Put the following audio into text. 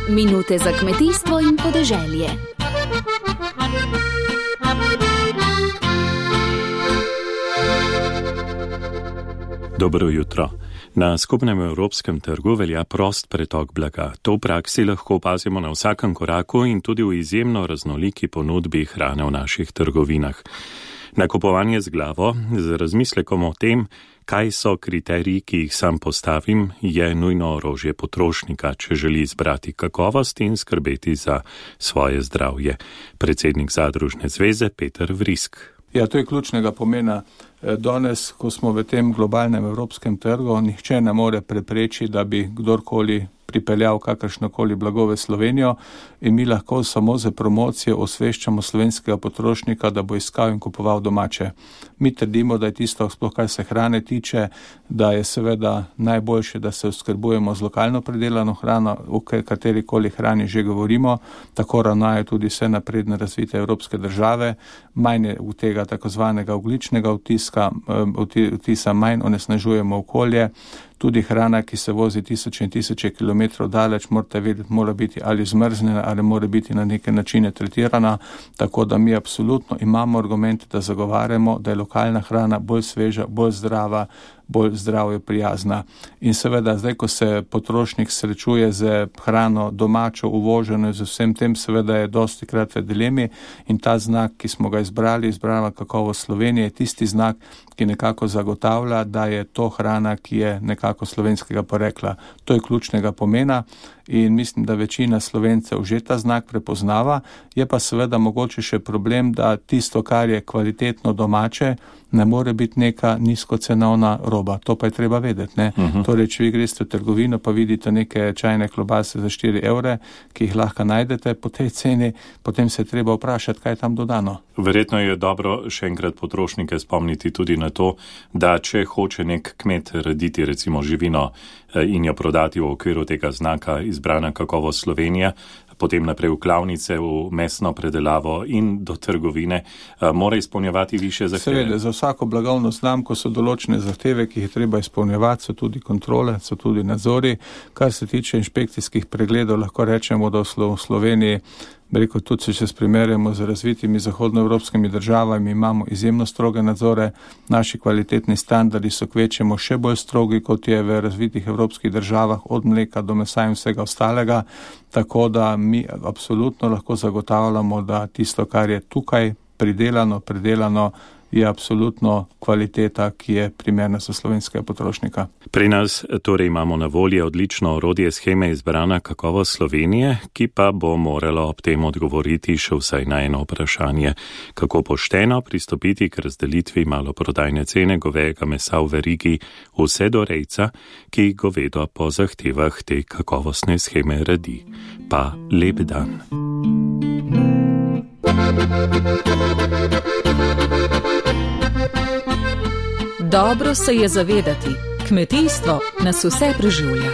Minute za kmetijstvo in podeželje. Dobro jutro. Na skupnem evropskem trgu velja prost pretok blaga. To v praksi lahko opazimo na vsakem koraku in tudi v izjemno raznoliki ponudbi hrane v naših trgovinah. Nakupovanje z glavo, z razmislekom o tem, kaj so kriteriji, ki jih sam postavim, je nujno orožje potrošnika, če želi izbrati kakovost in skrbeti za svoje zdravje. Predsednik Zadružne zveze Peter Vrisk. Ja, to je ključnega pomena. Danes, ko smo v tem globalnem evropskem trgu, nihče ne more preprečiti, da bi kdorkoli pripeljal kakršnokoli blago v Slovenijo in mi lahko samo za promocijo osveščamo slovenskega potrošnika, da bo iskal in kupoval domače. Mi trdimo, da je tisto, sploh kar se hrane tiče, da je seveda najboljše, da se oskrbujemo z lokalno pridelano hrano, o katerikoli hrani že govorimo, tako ravnajo tudi vse napredne razvite evropske države, manj je v tega takozvanega ogljičnega vtisa, manj onesnažujemo okolje. Tudi hrana, ki se vozi tisoče in tisoče kilometrov daleč, morate vedeti, mora biti ali zmrznjena ali mora biti na neke načine tretirana, tako da mi absolutno imamo argumente, da zagovarjamo, da je lokalna hrana bolj sveža, bolj zdrava, bolj zdravje prijazna. In seveda, zdaj, ko se potrošnik srečuje z hrano domačo, uvoženo, z vsem tem, seveda je dosti krat v dilemi in ta znak, ki smo ga izbrala kakovost Slovenije, je tisti znak, ki nekako zagotavlja, da je to hrana, ki je nekako slovenskega porekla. To je ključnega pomena in mislim, da večina Slovencev že ta znak prepoznava. Je pa seveda mogoče še problem, da tisto, kar je kvalitetno domače, ne more biti neka nizkocenovna roba. To pa je treba vedeti, ne? Torej, če vi greste v trgovino, pa vidite neke čajne klobase za 4 evre, ki jih lahko najdete po tej ceni, potem se je treba vprašati, kaj je tam dodano. Verjetno je dobro še enkrat potrošnike spomniti tudi na to, da če hoče nek kmet rediti recimo živino in jo prodati v okviru tega znaka izbrana kakovost Slovenija, potem naprej v klavnice, v mesno predelavo in do trgovine, mora izpolnjevati više zahteve. Seveda, za vsako blagovno znamko so določene zahteve, ki jih je treba izpolnjevati, so tudi kontrole, so tudi nadzori. Kar se tiče inšpekcijskih pregledov, lahko rečemo, da v Sloveniji, tudi če se primerjamo z razvitimi zahodnoevropskimi državami, imamo izjemno stroge nadzore. Naši kvalitetni standardi so kvečemo še bolj strogi, kot je v razvitih evropskih državah, od mleka do mesa in vsega ostalega. Tako da mi absolutno lahko zagotavljamo, da tisto, kar je tukaj pridelano, je absolutno kvaliteta, ki je primerna za slovenskega potrošnika. Pri nas torej imamo na voljo odlično orodje sheme izbrana kakovost Slovenije, ki pa bo moralo ob tem odgovoriti še vsaj na eno vprašanje. Kako pošteno pristopiti k razdelitvi maloprodajne cene govejega mesa v verigi vse do rejca, ki govedo po zahtevah te kakovostne sheme redi. Pa lep dan. Dobro se je zavedati, kmetijstvo nas vse preživlja.